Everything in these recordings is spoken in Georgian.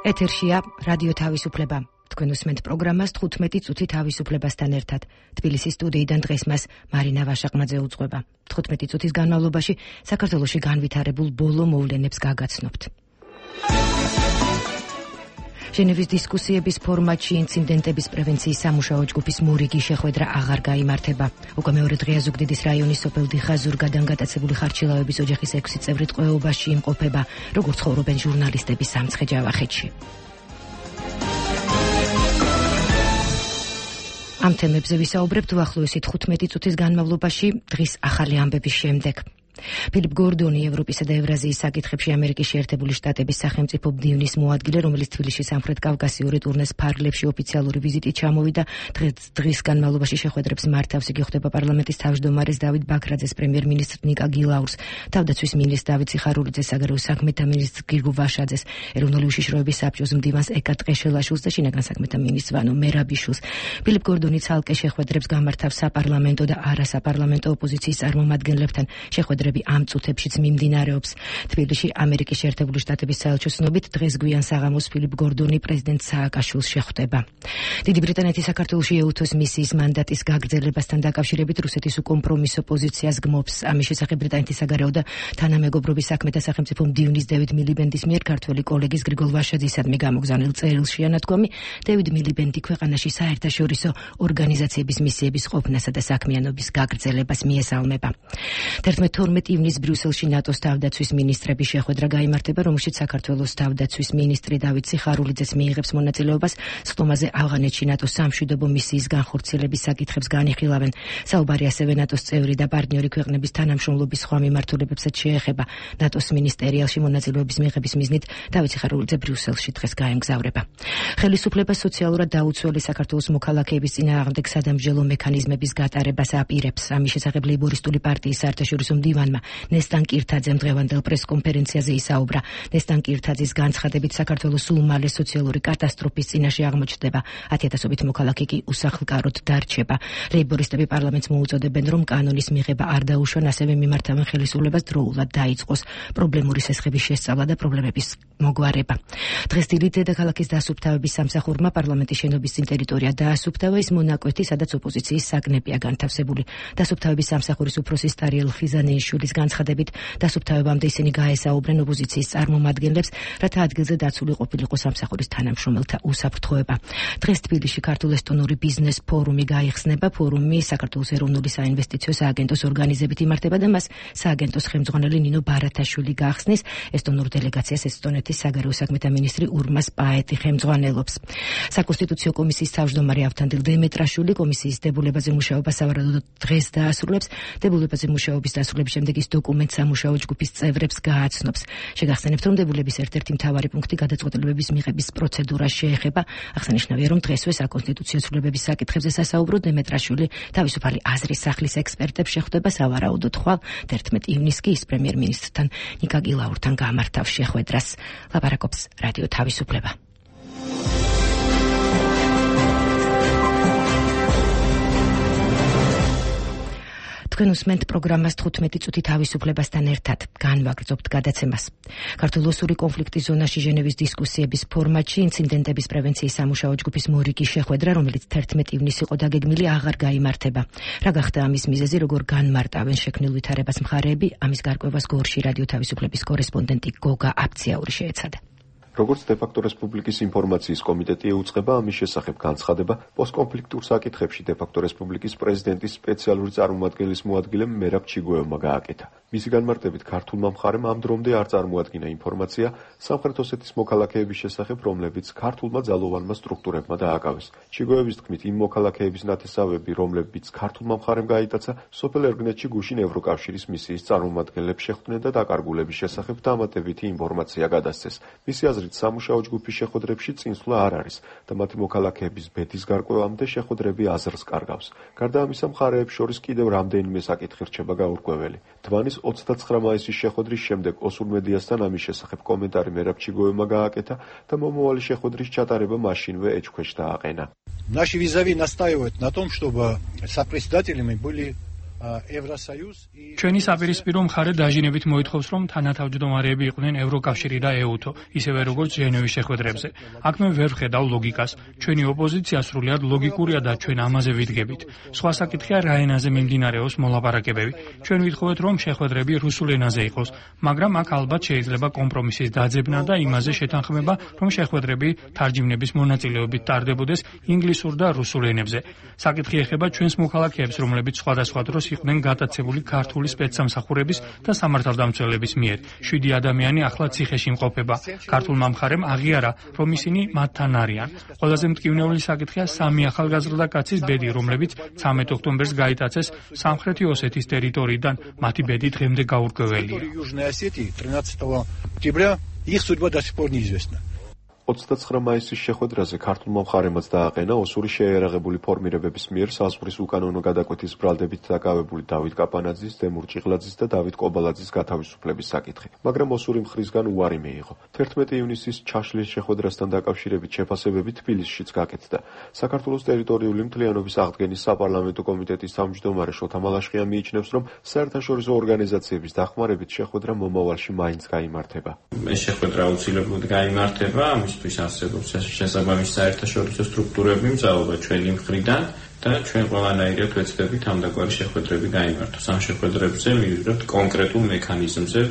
ეთერშია რადიო თავისუფლება. თქვენ უსმენთ პროგრამას 15 წუთი თავისუფლებასთან ერთად. თბილისის სტუდიიდან დღეს მას მარინა ვაშაყმაძე უძღვება. 15 წუთის განმავლობაში საქართველოში განვითარებულ ბოლო მოვლენებს გაგაცნობთ. ჟენევის დისკუსიების ფორმატში ინციდენტების პრევენციის სამუშაო ჯგუფის მორიგი შეხვედრა აღარ გაიმართება. უკვე მეორე დღეა ზუგდიდის რაიონის სოფელ დიხაზურგადან გატაცებული ხარჩილავების ოჯახის 6 წევრი ტყვეობაში იმყოფება, როგორც ცხოვრობენ ჟურნალისტები სამცხე-ჯავახეთში. ამ თემებზე ვისაუბრებთ უახლოესი 15 წუთის განმავლობაში დღის ახალი ამბების შემდეგ. ფილიპ გორდონი, ევროპისა და ევრაზიის საკითხებში ამერიკის შეერთებული შტატების სახელმწიფო მდივნის მოადგილე, რომელიც თბილისში სამხრეთ კავკასიური ტურნეს ფარგლებში ოფიციალური ვიზიტით ჩამოვიდა, დღის განმავლობაში შეხვედრებს მართავს. იგი ხვდება პარლამენტის თავმჯდომარეს დავით ბაქრაძეს, პრემიერ-მინისტრ ნიკა გილაურს, თავდაცვის მინისტრს დავით ციხარულიძეს, საგარეო საქმეთა მინისტრს გრიგოლ ვაშაძეს, ეროვნული უშიშროების საბჭოს მდივანს ეკა ტყეშელაშვილს და შინაგან საქმეთა მინისტრს ვანო მერაბიშვილს. ფილიპ გორდონი ცალკე შეხვედრებს გამართავს საპარლამენტო და არასაპარლამენტო ოპოზიციის წარმომადგენლებთან. შეხვედრები ამ წუთებშიც მიმდინარეობს. თბილისში ამერიკის შეერთებული შტატების საელჩოს ცნობით დღეს გვიან საღამოს ფილიპ გორდონი პრეზიდენტ სააკაშვილს შეხვდება. დიდი ბრიტანეთი საქართველოში ეუთოს მისიის მანდატის გაგრძელებასთან დაკავშირებით რუსეთის უკომპრომისო პოზიციას გმობს. ამის შესახებ ბრიტანეთის საგარეო და თანამეგობრობის საქმეთა სახელმწიფო მდივნის დევიდ მილიბენდის მიერ ქართველი კოლეგის გრიგოლ ვაშაძისადმი გამოგზავნილ წერილშია ნათქვამი, დევიდ მილიბენდი ქვეყანაში საერთაშორისო ორგანიზაციების მისიების ყოფნასა და საქმიანობის გაგრძელებას მიესალმება. 12 ივნისს ბრიუსელში ნატოს თავდაცვის მინისტრების შეხვედრა გაიმართება, რომელშიც საქართველოს თავდაცვის მინისტრი დავით ციხარულიძეს მიიღებს მონაწილეობას. სხდომაზე ავღანეთში ნატოს სამშვიდობო მისიის განხორციელების საკითხებს განიხილავენ. საუბარი ასევე ნატოს წევრი და პარტნიორი ქვეყნების თანამშრომლობის სხვა მიმართულებებსაც შეეხება. ნატოს მინისტერიალში მონაწილეობის მიღების მიზნით დავით ციხარულიძე ბრიუსელში დღეს გაემგზავრება. ხელისუფლება სოციალურად დაუცველი საქართველოს მოქალაქეების წინააღმდეგ სადამსჯელო მექანიზმების გატარებას აპირებს. ამის შესახებ ლეიბორისტული პარტიის საერთაშორისო მდივანმა ნესტან კირთაძემ დღევანდელ პრესკონფერენციაზე ისაუბრა. ნესტან კირთაძის განცხადებით საქართველოს სულ მალე სოციალური კატასტროფის წინაშე აღმოჩნდება. 10,000-ობით მოქალაქე კი უსახლკაროდ დარჩება. ლეიბორისტები პარლამენტს მოუწოდებენ, რომ კანონის მიღება არ დაუშვან, ასევე მიმართავენ ხელისუფლებას დროულად დაიწყოს პრობლემური სესხების შესწავლა და პრობლემების მოგვარება. დღეს დილით დედაქალაქის დასუფთავების სამსახურმა პარლამენტის შენობის წინ ტერიტორია დაასუფთავა. ის მონაკვეთი, სადაც ოპოზიციის საკნეპია განთავსებული. დასუფთავების სამსახურის უფროსი სტარიელ ხიზანეიშვილის განცხადებით, დასუფთავებამდე ისინი გაესაუბრენ ოპოზიციის წარმომადგენლებს, რათა ადგილზე დაცული ყოფილიყო სამსახურის თანამშრომელთა უსაფრთხოება. დღეს თბილისში ქართულ-ესტონური ბიზნეს ფორუმი გაიხსნება. ფორუმი საქართველოს ეროვნული საინვესტიციო სააგენტოს ორგანიზებით იმართება და მას სააგენტოს ხელმძღვანელი ნინო ბარათაშვილი გახსნის. ესტონურ დელეგაციას ესტონეთის საგარეო საქმეთა მინისტრი ურმას პაეტი ხელმძღვანელობს. საკონსტიტუციო კომისიის თავმჯდომარე ავთანდილ დემეტრაშვილი კომისიის დებულებაზე მუშაობას სავარაუდოდ დღეს დაასრულებს. დებულებაზე მუშაობის დასრულების შემდეგ ის დოკუმენტს სამუშაო ჯგუფის წევრებს გააცნობს. შეგახსენებთ, რომ დებულების ერთ-ერთი მთავარი პუნქტი გადაწყვეტილებების მიღების პროცედურას შეეხება. აღსანიშნავია, რომ დღესვე საკონსტიტუციო ცვლილებების საკითხებზე სასაუბრო დემეტრაშვილი თავისუფალი აზრის სახლის ექსპერტებს შეხვდება. სავარაუდოდ ხვალ 11 ივნისს კი ის პრემიერ-მინისტრთან ნიკა გილაურთან გამართავს შეხვედრას. ლაპარაკობს რადიო თავისუფლება. თქვენ უსმენთ პროგრამას 15 წუთი თავისუფლებასთან ერთად. განვაგრძობთ გადაცემას. ქართულ-ოსური კონფლიქტის ზონაში ჟენევის დისკუსიების ფორმატში ინციდენტების პრევენციის სამუშაო ჯგუფის მორიგი შეხვედრა, რომელიც 11 ივნისს იყო დაგეგმილი, აღარ გაიმართება. რა გახდა ამის მიზეზი, როგორ განმარტავენ შექმნილ ვითარებას მხარეები, ამის გარკვევას გორში რადიო თავისუფლების კორესპონდენტი გოგა აფციაური შეეცადა. როგორც დე-ფაქტო რესპუბლიკის ინფორმაციის კომიტეტი ეუწყება, ამის შესახებ განცხადება პოსტკონფლიქტურ საკითხებში დე-ფაქტო რესპუბლიკის პრეზიდენტის სპეციალური წარმომადგენლის მოადგილემ მერაბ ჩიგოევმა გააკეთა. მისი განმარტებით ქართულმა მხარემ ამ დრომდე არ წარმოადგინა ინფორმაცია სამხრეთ ოსეთის მოქალაქეების შესახებ, რომლებიც ქართულმა ძალოვანმა სტრუქტურებმა დააკავეს. ჩიგოევის თქმით, იმ მოქალაქეების ნათესავები, რომლებიც ქართულმა მხარემ გაიტაცა, სოფელ ერგნეთში გუშინ ევროკავშირის მისიის წარმომადგენლებს შეხვდნენ და დაკარგულების შესახებ დამატებითი ინფორმაცია გადასცეს. მისი აზრით, სამუშაო ჯგუფის შეხვედრებში წინსვლა არ არის და მათი მოქალაქეების ბედის გარკვევამდე შეხვედრები აზრს კარგავს. გარდა ამისა, მხარეებს შორის კიდევ რამდენიმე საკითხი რჩება გაურკვეველი. თვანის 29 მაისის შეხვედრის შემდეგ ოსურ მედიასთან ამის შესახებ კომენტარი მერაბ ჩიგოევმა გააკეთა და მომავალი შეხვედრის ჩატარება მაშინვე ეჭქვეშ დააყენა. Наши визави настаивают на том, чтобы сопредседателями были ჩვენი საპირისპირო მხარე დაჟინებით მოითხოვს, რომ თანათავმჯდომარეები იყვნენ ევროკავშირი და ეუთო, ისევე როგორც ჟენევის შეხვედრებზე. აქ მე ვერ ვხედავ ლოგიკას. ჩვენი ოპოზიცია სრულიად ლოგიკურია და ჩვენ ამაზე ვიდგებით. სხვა საკითხია რა ენაზე მიმდინარეობს მოლაპარაკებები. ჩვენ ვითხოვეთ, რომ შეხვედრები რუსულ ენაზე იყოს, მაგრამ აქ ალბათ შეიძლება კომპრომისის დაძებნა და იმაზე შეთანხმება, რომ შეხვედრები თარჯიმნების მონაწილეობით ტარდებოდეს ინგლისურ და რუსულ ენებზე. საკითხი ეხება ჩვენს მოქალაქეებს, რომლებიც სხვადასხვა დროს იყვნენ გატაცებული ქართული სპეცსამსახურების და სამართალდამცველების მიერ. 7 ადამიანი ახლა ციხეში იმყოფება. ქართულმა მხარემ აღიარა, რომ ისინი მათთან არიან. ყველაზე მტკივნეული საკითხია 3 ახალგაზრდა კაცის ბედი, რომლებიც 13 ოქტომბერს გაიტაცეს სამხრეთი ოსეთის ტერიტორიიდან. მათი ბედი დღემდე გაურკვეველია. 29 მაისის შეხვედრაზე ქართულმა მხარემაც დააყენა ოსური შეიარაღებული ფორმირებების მიერ საზღვრის უკანონო გადაკვეთის ბრალდებით დაკავებული დავით კაპანაძის, დემურ ჭიღლაძის და დავით კობალაძის გათავისუფლების საკითხი. მაგრამ ოსური მხრისგან უარი მიიღო. 11 ივნისის ჩაშლის შეხვედრასთან დაკავშირებით შეფასებები თბილისშიც გაკეთდა. საქართველოს ტერიტორიული მთლიანობის აღდგენის საპარლამენტო კომიტეტის თავმჯდომარე შოთა მალაშხია მიიჩნევს, რომ საერთაშორისო ორგანიზაციების დახმარებით შეხვედრა მომავალში მაინც გაიმართება. ეს შეხვედრა აუცილებლად გაიმართება. არსებობს შესაბამისი საერთაშორისო სტრუქტურები მზაობა ჩვენი მხრიდან და ჩვენ ყველანაირად ვეცდებით ამდაგვარი შეხვედრები გაიმართოს. ამ შეხვედრებზე მივიღებთ კონკრეტულ მექანიზმზე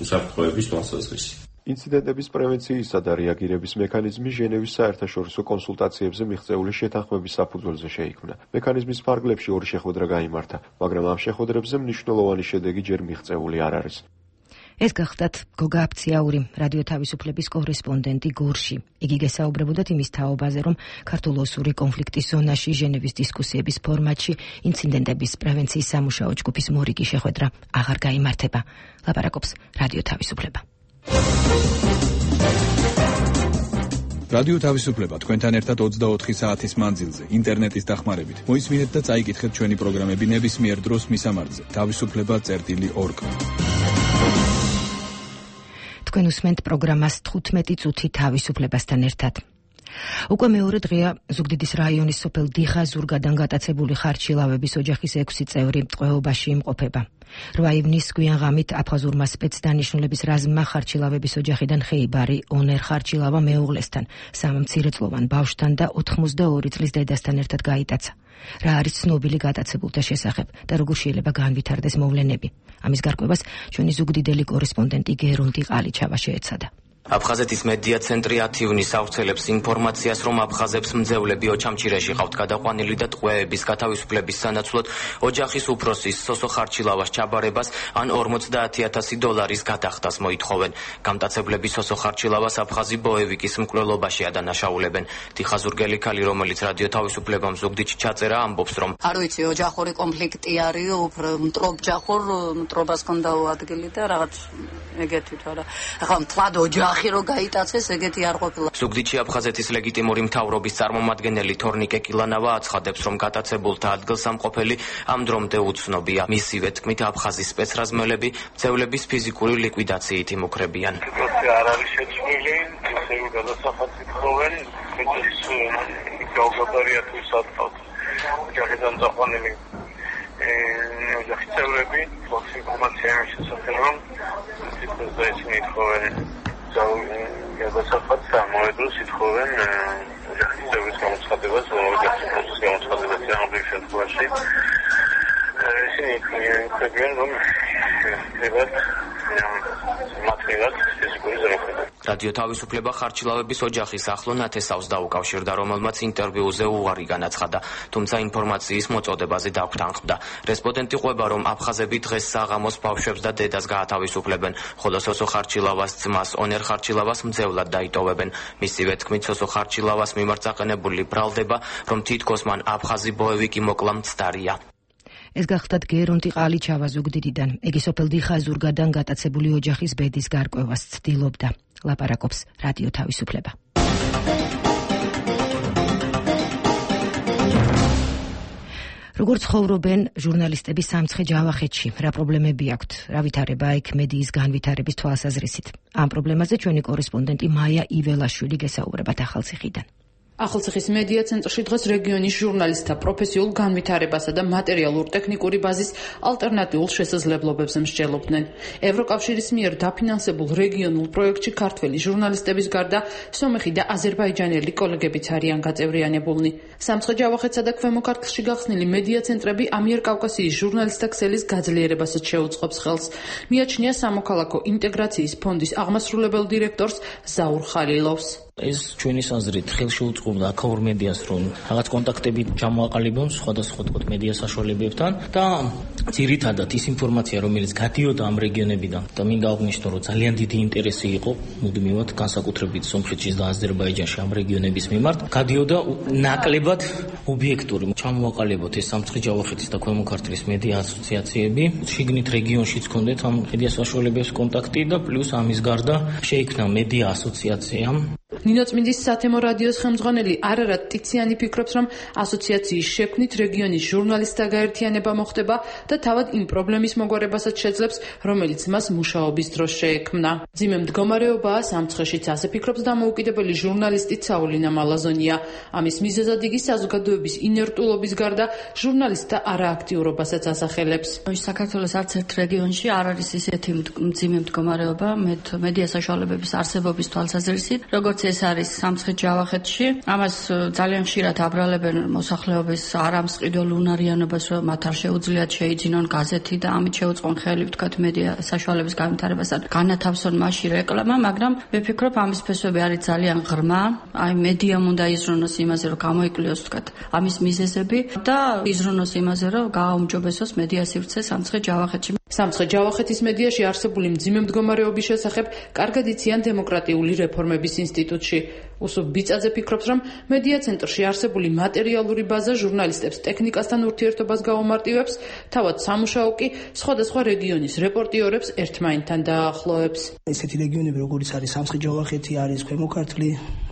უსაფრთხოების თვალსაზრისი. ინციდენტების პრევენციისა და რეაგირების მექანიზმი ჟენევის საერთაშორისო კონსულტაციებზე მიღწეული შეთანხმების საფუძველზე შეიქმნა. მექანიზმის ფარგლებში 2 შეხვედრა გაიმართა, მაგრამ ამ შეხვედრებზე მნიშვნელოვანი შედეგი ჯერ მიღწეული არ არის. ეს გახლდათ გოგა აფციაური, რადიო თავისუფლების კორესპონდენტი გორში. იგი გესაუბრებოდათ იმის თაობაზე, რომ ქართულ-ოსური კონფლიქტის ზონაში ჟენევის დისკუსიების ფორმატში ინციდენტების პრევენციის სამუშაო ჯგუფის მორიგი შეხვედრა აღარ გაიმართება. ლაპარაკობს რადიო თავისუფლება. რადიო თავისუფლება თქვენთან ერთად 24 საათის მანძილზე, ინტერნეტის დახმარებით. მოისმინეთ და წაიკითხეთ ჩვენი პროგრამები ნებისმიერ დროს მისამართზე. თავისუფლება.org. თქვენ უსმენთ პროგრამას 15 წუთი თავისუფლებასთან ერთად. უკვე მეორე დღეა ზუგდიდის რაიონის სოფელ დიხაზურგადან გატაცებული ხარჩილავების ოჯახის 6 წევრი ტყვეობაში იმყოფება. 8 ივნის გვიანღამით აფხაზურმა სპეცდანიშნულების რაზმმა ხარჩილავების ოჯახიდან ხეიბარი ონერ ხარჩილავა მეუღლესთან, 3 მცირეწლოვან ბავშვთან და 82 წლის დედასთან ერთად გაიტაცა. რა არის ცნობილი გატაცებულთა შესახებ და როგორ შეიძლება განვითარდეს მოვლენები? ამის გარკვევას ჩვენი ზუგდიდელი კორესპონდენტი გერონტი ყალიჩავა შეეცადა. აფხაზეთის მედია ცენტრი 10 ივნის ავრცელებს ინფორმაციას, რომ აფხაზებს მძევლები ოჩამჩირეში ყავთ გადაყვანილი და ტყვეების გათავისუფლების სანაცვლოდ ოჯახის უფროსის სოსო ხარჩილავას ჩაბარებას ან $50,000 გადახდას მოითხოვენ. გამტაცებლები სოსო ხარჩილავას აფხაზი ბოევიკის მკვლელობაში ადანაშაულებენ. დიხაზურგელი ქალი, რომელიც რადიო თავისუფლებამ ზუგდიდში ჩაწერა, ამბობს, რომ არ ვიცი, ოჯახური კონფლიქტი არის, უფრო მტრობას კონდა ადგილი და რაღაც ეგეთი თორა. ახლა მთლად ოჯახი რო გაიტაცეს, ეგეთი არ ყოფილა. ზუგდიდში აფხაზეთის ლეგიტიმური მთავრობის წარმომადგენელი თორნიკე კილანავა აცხადებს, რომ გატაცებულთა ადგილსამყოფელი ამ დრომდე უცნობია. მისივე თქმით, აფხაზის სპეცრაზმელები მძევლების ფიზიკური ლიკვიდაციით იმუქრებიან. არ არის შეცვლილი, ისევ გადასახადს ითხოვენ, ეს გაუგაბარია თუ სათქავთ. ოჯახიდან წაყვანილი ოჯახის წევრები, ფოქს ინფორმაცია იმის შესახებ, რომ ისინი ითხოვენ გადასახადს ამოედროს ითხოვენ ოჯახის წევრის გამოცხადებას, ოჯახის გამოცხადებას ამავე შემთხვევაში. ისინი იქმნებიან, რომ ეხებათ მათგან ფიზიკური ზრუნვა. რადიო თავისუფლება ხარჩილავების ოჯახის ახლო ნათესავს დაუკავშირდა, რომელმაც ინტერვიუზე უარი განაცხადა, თუმცა ინფორმაციის მოწოდებაზე დაგვთანხმდა. რესპონდენტი ყვება, რომ აფხაზები დღეს საღამოს ბავშვებს და დედას გაათავისუფლებენ, ხოლო სოსო ხარჩილავას ძმას ონერ ხარჩილავას მძევლად დაიტოვებენ. მისივე თქმით, სოსო ხარჩილავას მიმართ აყენებული ბრალდება, რომ თითქოს მან აფხაზი ბოევიკი მოკლა მცდარია. ეს გახლდათ გერონტი ყალიჩავა ზუგდიდიდან. იგი სოფელ დიხაზურგადან გატაცებული ოჯახის ბედის გარკვევას ცდილობდა. ლაპარაკობს რადიო თავისუფლება. როგორც ხოვრობენ ჟურნალისტები სამცხე ჯავახეთში, რა პრობლემები აქვთ, რა ვითარება იქ მედიის განვითარების თვალსაზრისით. ამ პრობლემაზე ჩვენი კორესპონდენტი მაია იველაშვილი გესაუბრებათ ახალციხიდან. ახალციხის მედია ცენტრში დღეს რეგიონის ჟურნალისტთა პროფესიულ განვითარებასა და მატერიალურ-ტექნიკური ბაზის ალტერნატიულ შესაძლებლობებზე მსჯელობდნენ. ევროკავშირის მიერ დაფინანსებულ რეგიონულ პროექტში ქართველი ჟურნალისტების გარდა სომეხი და აზერბაიჯანელი კოლეგებიც არიან გაწევრიანებულნი. სამცხე ჯავახეთსა და ქვემო ქართლში გახსნილი მედია ცენტრები ამიერკავკასიის ჟურნალისტთა ქსელის გაძლიერებასაც შეუწყობს ხელს. მიაჩნია სამოქალაქო ინტეგრაციის ფონდის აღმასრულებელ დირექტორს ზაურ ხალილოვს. ეს ჩვენი აზრით ხელში უწყობდა აქაურ მედიას, რომ რაღაც კონტაქტები ჩამოაყალიბონ სხვადასხვა მედია საშუალებებთან და ძირითადად ის ინფორმაცია, რომელიც გადიოდა ამ რეგიონებიდან და მინდა აღნიშნო, რომ ძალიან დიდი ინტერესი იყო მუდმივად განსაკუთრებით სომხეთში და აზერბაიჯანში ამ რეგიონების მიმართ, გადიოდა ნაკლებად ობიექტური. ჩამოაყალიბოთ ეს სამცხე ჯავახეთის და ქვემო ქართლის მედია ასოციაციები, შიგნით რეგიონშიც ჰქონდეთ ამ მედია საშუალებების კონტაქტი და პლუს ამის გარდა შეიქმნა მედია ასოციაცია. ნინოწმინდის სათემო რადიოს ხელმძღვანელი არარატ ტიციანი ფიქრობს, რომ ასოციაციის შექმნით რეგიონის ჟურნალისტთა გაერთიანება მოხდება და თავად იმ პრობლემის მოგვარებასაც შეძლებს, რომელიც მას მუშაობის დროს შეექმნა. მძიმე მდგომარეობაა სამცხეშიც, ასე ფიქრობს დამოუკიდებელი ჟურნალისტი საულინა მალაზონია. ამის მიზეზად იგი საზოგადოების ინერტულობის გარდა ჟურნალისტთა არააქტიურობასაც ასახელებს. საქართველოს არც ერთ რეგიონში არ არის ისეთი მძიმე მდგომარეობა მედია საშუალებების არსებობის თვალსაზრისით, როგორც ეს არის სამცხე ჯავახეთში. ამას ძალიან ხშირად აბრალებენ მოსახლეობის არამსყიდველ უნარიანობას, რომ მათ არ შეუძლიათ შეიძინონ გაზეთი და ამით შეუწყონ ხელი, ვთქვათ, მედია საშუალების განვითარებასთან განათავსონ მასში რეკლამა, მაგრამ მე ვფიქრობ, ამის ფესვები არის ძალიან ღრმა. აი მედიამ უნდა იზრუნოს იმაზე, რომ გამოიკვლიოს, ვთქვათ, ამის მიზეზები და იზრუნოს იმაზე, რომ გააუმჯობესოს მედია სივრცე სამცხე ჯავახეთში. სამცხე ჯავახეთის მედიაში არსებული მძიმე მდგომარეობის შესახებ კარგად იციან დემოკრატიული რეფორმების ინსტიტუტში. უსუფ ბიწაძე ფიქრობს, რომ მედია ცენტრში არსებული მატერიალური ბაზა ჟურნალისტებს ტექნიკასთან ურთიერთობას გაუმარტივებს, თავად სამუშაო კი სხვადასხვა რეგიონის რეპორტიორებს ერთმანეთთან დაახლოებს. ესეთი რეგიონები, როგორიც არის სამცხე ჯავახეთი, არის ქვემო ქართლი,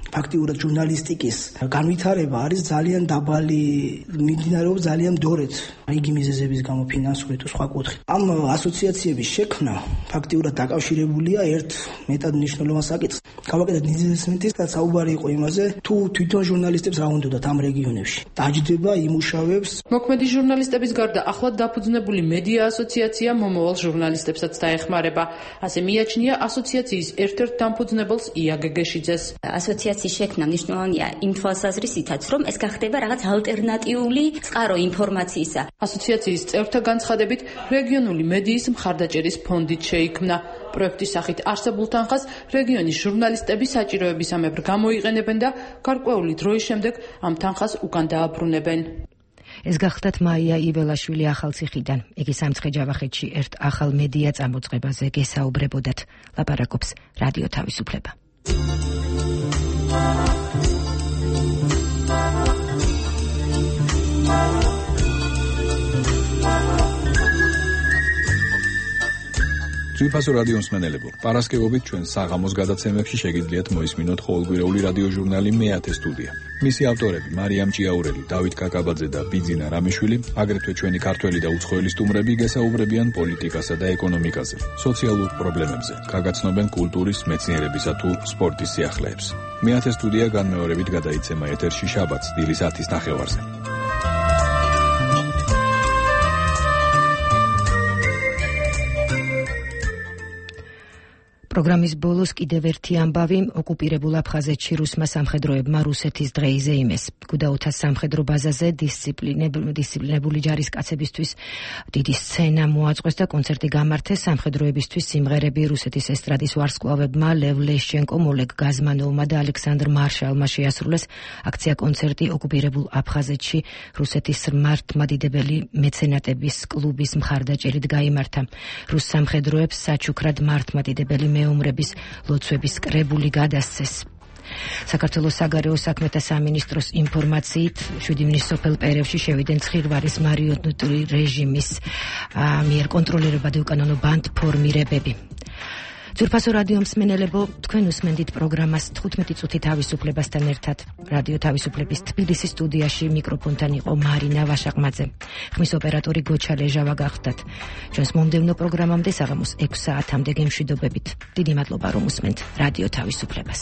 ფაქტიურად ჟურნალისტიკის განვითარება არის ძალიან დაბალი, მიმდინარეობს ძალიან მდორედ, იგი მიზეზების გამო ფინანსური თუ სხვა კუთხით. ამ ასოციაციების შექმნა ფაქტიურად დაკავშირებულია ერთ მეტად მნიშვნელოვან საკითხს. გავაკეთეთ ნიზესმენტის და საუბარი იყო იმაზე, თუ თვითონ ჟურნალისტებს რა უნდათ ამ რეგიონებში. დაჯდება იმუშავებს. მოქმედი ჟურნალისტების გარდა ახლად დაფუძნებული მედია ასოციაცია მომავალ ჟურნალისტებსაც დაეხმარება. ასე მიაჩნია ასოციაციის ერთ-ერთ დამფუძნებელს ია გეგეშიძეს. ასოციაციის შექმნა მნიშვნელოვანია იმ თვალსაზრისითაც, რომ ეს გახდება რაღაც ალტერნატიული წყარო ინფორმაციისა. ასოციაციის წევრთა განცხადებით, რეგიონული მედიის მხარდაჭერის ფონდით შეიქმნა. პროექტის სახით არსებულ თანხას რეგიონის ჟურნალისტები საჭიროებისამებრ გამოიყენებენ და გარკვეული დროის შემდეგ ამ თანხას უკან დააბრუნებენ. ეს გახდათ მაია იბელაშვილი ახალციხიდან. იგი სამცხე ჯავახეთში ერთ ახალ მედია წამოწყებაზე გესაუბრებოდათ. ლაპარაკობს რადიო თავისუფლება. ძვირფასო რადიო მსმენელებო, პარასკევობით ჩვენ საღამოს გადაცემებში შეგიძლიათ მოისმინოთ ყოველკვირეული რადიო ჟურნალი მეათე სტუდია. მისი ავტორები მარიამ ჭიაურელი, დავით კაკაბაძე და ბიძინა რამიშვილი, აგრეთვე ჩვენი ქართველი და უცხოელი სტუმრები გესაუბრებიან პოლიტიკასა და ეკონომიკაზე, სოციალურ პრობლემებზე, გაგაცნობენ კულტურის, მეცნიერებისა თუ სპორტის სიახლეებს. მეათე სტუდია განმეორებით გადაიცემა ეთერში შაბათს დილის 10:30-ზე. პროგრამის ბოლოს კიდევ ერთი ამბავი, ოკუპირებულ აფხაზეთში რუსმა სამხედროებმა რუსეთის დღე იზეიმეს. გუდაუთას სამხედრო ბაზაზე დისციპლინებული ჯარისკაცებისთვის დიდი სცენა მოაწყვეს და კონცერტი გამართეს. სამხედროებისთვის სიმღერები რუსეთის ესტრადის ვარსკვლავებმა ლევ ლეშჩენკომ, ოლეგ გაზმანოვმა და ალექსანდრ მარშალმა შეასრულეს. აქცია კონცერტი ოკუპირებულ აფხაზეთში რუსეთის მართლმადიდებელი მეცენატების კლუბის მხარდაჭერით გაიმართა. რუს სამხედროებს საჩუქრად მართლმადიდებელი მეომრების ლოცვების კრებული გადასცეს. საქართველოს საგარეო საქმეთა სამინისტროს ინფორმაციით 7 ივნის სოფელ პერევში შევიდნენ ცხირვარის მარიონეტული რეჟიმის მიერ კონტროლირებადი უკანონო ბანდფორმირებები. ძვირფასო რადიო მსმენელებო, თქვენ უსმენდით პროგრამას 15 წუთი თავისუფლებასთან ერთად. რადიო თავისუფლების თბილისის სტუდიაში მიკროფონთან იყო მარინა ვაშაყმაძე. ხმის ოპერატორი გოჩა ლეჟავა გახდათ. ჩვენს მომდევნო პროგრამამდე საღამოს 6 საათამდე გემშვიდობებით. დიდი მადლობა რომ უსმენთ რადიო თავისუფლებას.